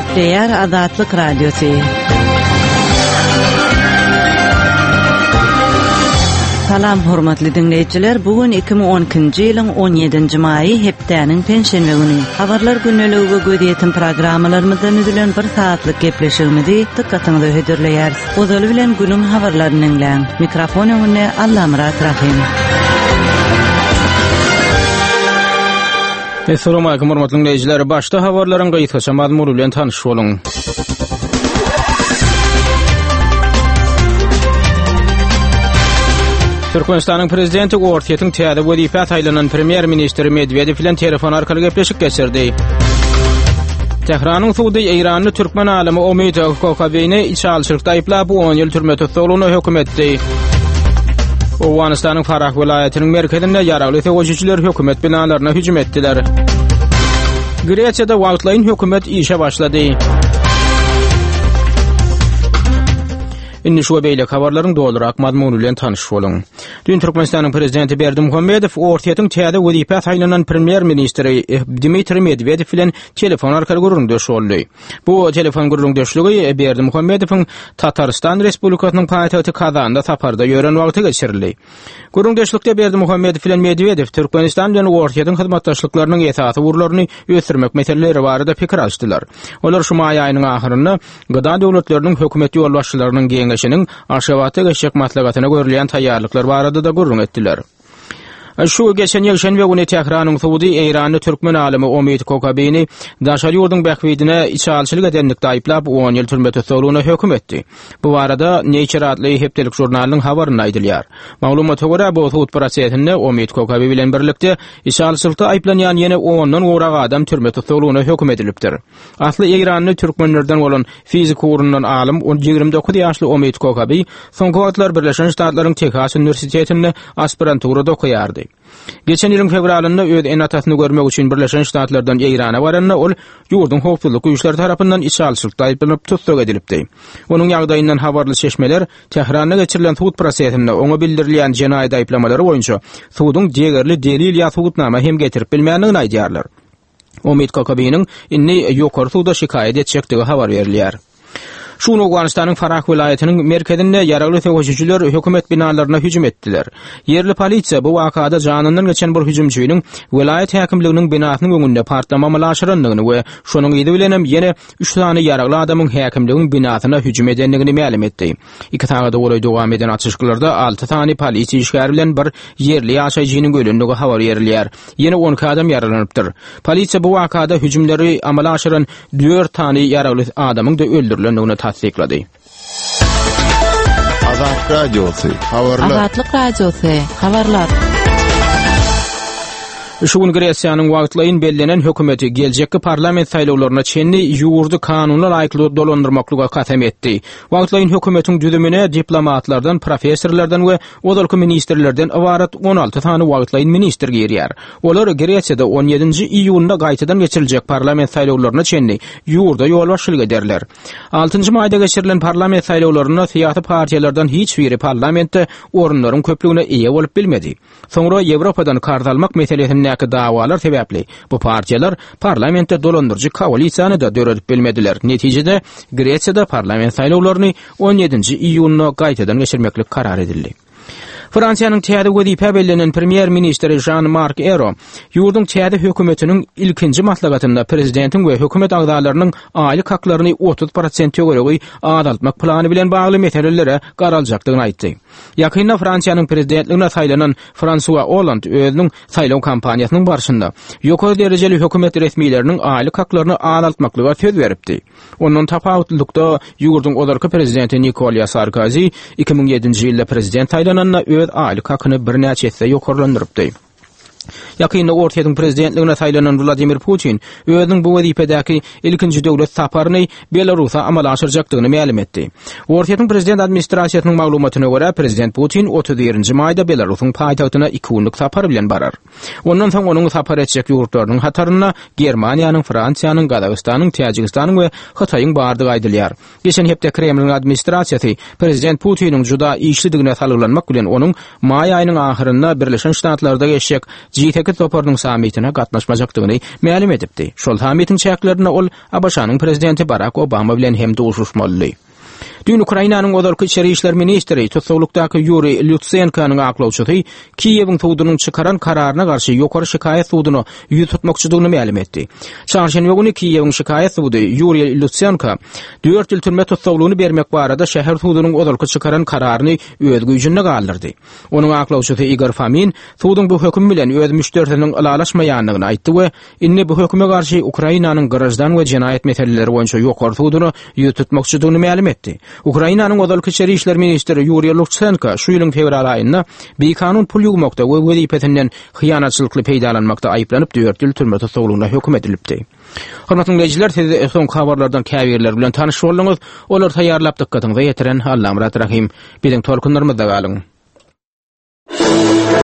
Gepleýär Azatlyk Radiosy. Salam hormatly diňleýjiler, bu gün 2012-nji ýylyň 17-nji maýy hepdäniň penşenbe güni. Habarlar gündeligi we gözýetim programmalarymyzdan düzülen bir sagatlyk gepleşigimizi dykgatyňyza hödürleýäris. Ozaly bilen günüň habarlaryny diňläň. Mikrofon öňünde Allamyrat Rahym. Assalamu alaykum hormatly dinleýjiler. Başda habarlaryň gysgaça mazmuny bilen tanyş boluň. Türkmenistanyň prezidenti Orsýetiň täze wezipä saýlanan premýer-ministri Medwedew bilen telefon arkaly gepleşik geçirdi. Tähranyň sudy Eýranly türkmen alymy Omid Kokabini içalyçylykda aýyplap, 10 ýyl türme tussaglygyna höküm etdi. Owganystanyň Farah welaýatynyň merkezinde ýaragly söweşijiler hökümet binalaryna hüjüm etdiler. Gresiýada wagtlaýyn hökümet işe başlady. Indi şu we beýleki habarlaryň dolurak mazmuny bilen tanyş boluň. Düýn Türkmenistanyň prezidenti Berdimuhamedow Orsýetiň täze wezipä saýlanan premýer-ministri Dmitriý Medwedew bilen telefon arkaly gürrüňdeş boldy. Bu telefon gürrüňdeşligi Berdimuhamedowyň Tatarystan Respublikasynyň paýtagty Kazanda saparda ýören wagty geçirildi. Gürrüňdeşlikde Berdimuhamedow bilen Medwedew Türkmenistan bilen Orsýetiň hyzmatdaşlyklarynyň esasy ugurlaryny ösdürmek meseleleri barada pikir alyşdylar. Olar şu maý aýynyň ahyrynda GDA döwletleriniň hökümet ýolbaşçylarynyň geňeşiniň Aşgabatda geçjek maslahatyna görülýän taýýarlyklar barada-da gürrüň etdiler. Şu geçen ýekşenbe güni Tähranyň sudy eýranly türkmen alymy Omid Kokabini daşary ýurduň bähbidine içalyçylyk edenlikde aýyplap, on ýyl türme tussaglygyna höküm etdi. Bu barada Nature atly hepdelik žurnalynyň habarynda aýdylýar. Maglumata görä, bu sud prosesinde Omid Kokabi bilen birlikde içalyçylykda aýyplanýan ýene ondan gowrak adam türme tussaglygyna höküm edilipdir. Asly eýranly türkmenlerden bolan fizik ugrundan alym 29 ýaşly Omid Kokabi soňky wagtlar Birleşen Ştatlaryň Tehas uniwersitetinde aspiranturada okaýardy. Geçen ýylyň fewralynda öz ene-atasyny görmek üçin Birleşen Ştatlardan Eýrana baranda ol ýurduň howpsuzlyk güýçleri tarapyndan içalyçylykda aýyplanyp tussag edilipdi. Onuň ýagdaýyndan habarly çeşmeler Tähranda geçirilen sud prosesinde oňa bildirilýän jenaýat aýyplamalary boýunça suduň degerli delil ýa subutnama hem getirip bilmändigini aýdýarlar. Omid Kokabiniň indi ýokary suda şikaýat etjekdigi habar berilýär. Şu gün Owganystanyň Farah welaýatynyň merkezinde ýaragly söweşijiler hökümet binalaryna hüjüm etdiler. Ýerli polisiýa bu wakada janyndan geçen bir hüjümçiniň welaýat häkimliginiň binasynyň öňünde partlama amala aşyrandygyny we şonuň yzy bilenem ýene üç sany ýaragly adamyň häkimligiň binasyna hüjüm edendigini mälim etdi. Iki sagada golaý dowam eden atyşyklarda alty sany polisiýa işgäri bilen bir ýerli ýaşaýjynyň ölendigi habar berilýär. Ýene 12 adam ýaralanypdyr. Polisiýa bu wakada hüjümleri amala aşyran dört sany ýaragly adamyň-da öldürilendigini tassyklady. Azat Radiosy, habarlar. Azatlyk Radiosy, habarlar. Şu gün Gresiýanyň wagtlaýyn bellenen hökümeti geljekki parlament saýlawlaryna çenli ýurdy kanuna laýyklykda dolandyrmaklyga kasam etdi. Wagtlaýyn hökümetiň düzümine diplomatlardan, professorlardan we ozalky ministrlerden ybarat 16 sany wagtlaýyn ministr girýär. Olar Gresiýada 17-nji iýunda gaýtadan geçiriljek parlament saýlawlaryna çenli ýurda ýolbaşçylyk ederler. Altynjy maýda geçirilen parlament saýlawlarynda syýasy partiýalardan hiç biri parlamentde orunlaryň köplügine eýe bolup bilmedi. Soňra Ýewropadan karz almak meselesindäki dawalar sebäpli bu partiýalar parlamentde dolandyryjy koalisiýany-da döredip bilmediler. Netijede, Gresiýada parlament saýlawlaryny 17-nji iýunda gaýtadan geçirmeklik karar edildi. Fransiýanyň täze wezipä bellenen premýer-ministri Žan-Mark Ero ýurduň täze hökümetiniň ilkinji maslahatynda prezidentiň we hökümet agzalarynyň aýlyk haklaryny 30 prosent töweregi azaltmak plany bilen bagly meselelere garaljakdygyny aýtdy. Ýakynda Fransiýanyň prezidentligine saýlanan Fransua Olland özüniň saýlaw kampaniýasynyň barşynda ýokary derejeli hökümet resmileriniň aýlyk haklaryny azaltmaklyga söz beripdi. Ondan tapawutlylykda, ýurduň ozalky prezidenti Nikolýa Sarkozi 2007-nji ýylda prezident saýlananda öz aýlyk hakyny birnäçe esse ýokarlandyrypdy. Ýakynda Orsýetiň prezidentligine saýlanan Wladimir Putin özüniň bu wezipedäki ilkinji döwlet saparyny Belarusa amala aşyrjakdygyny mälim etdi. Orsýetiň prezident administrasiýasynyň maglumatyna görä, prezident Putin 31-nji maýda Belarusyň paýtagtyna iki günlük sapar bilen barar. Ondan soň onuň sapar etjek ýurtlarynyň hatarynda Germaniýanyň, Fransiýanyň, Gazagystanyň, Täjigistanyň we Hytaýyň bardygy aýdylýar. Geçen hepde Kremliň administrasiýasy prezident Putiniň juda işlidigine salgylanmak bilen onuň maý aýynyň ahyrynda Birleşen Ştatlarda geçjek G8 toparynyň sammitine gatnaşmajakdygyny mälim edipdi. Şol sammitiň çäklerinde ol ABŞ-nyň prezidenti Barak Obama bilen hem duşuşmalydy. Düýn Ukrainanyň ozalky içeri işler ministri, tussaglykdaky Ýuriý Lutsenkonyň aklawçysy Kiýewiň sudunyň çykaran kararyna garşy Ýokary şikaýat suduna ýüz tutmakçydygyny mälim etdi. Çarşenbe güni Kiýewiň şikaýat sudy Ýuriý Lutsenko dört ýyl türme tussaglygyny bermek barada şäher sudunyň ozalky çykaran kararyny öz güýjünde galdyrdy. Onuň aklawçysy Igor Fomin suduň bu höküm bilen öz müşderisiniň ylalaşmaýandygyny aýtdy we indi bu höküme garşy Ukrainanyň Graždan we jenaýat meseleleri boýunça ýokary suduna ýüz tutmakçydygyny mälim etdi. Ukrainanyň ozalky içeri işler ministri Ýuriý Lutsenko şu ýylyň fewral aýynda bikanun pul ýuwmakda we wezipesinden hyýanatçylykly peýdalanmakda aýyplanyp dört ýyl türme tussaglygyna höküm edilipdi. Hormatly diňleýjiler, siz soňky habarlardan käbirleri bilen tanyş bolduňyz. Olary taýýarlap dykgatyňyza ýetiren Allamyrat Rahym. Biziň tolkunlarymyzda galyň.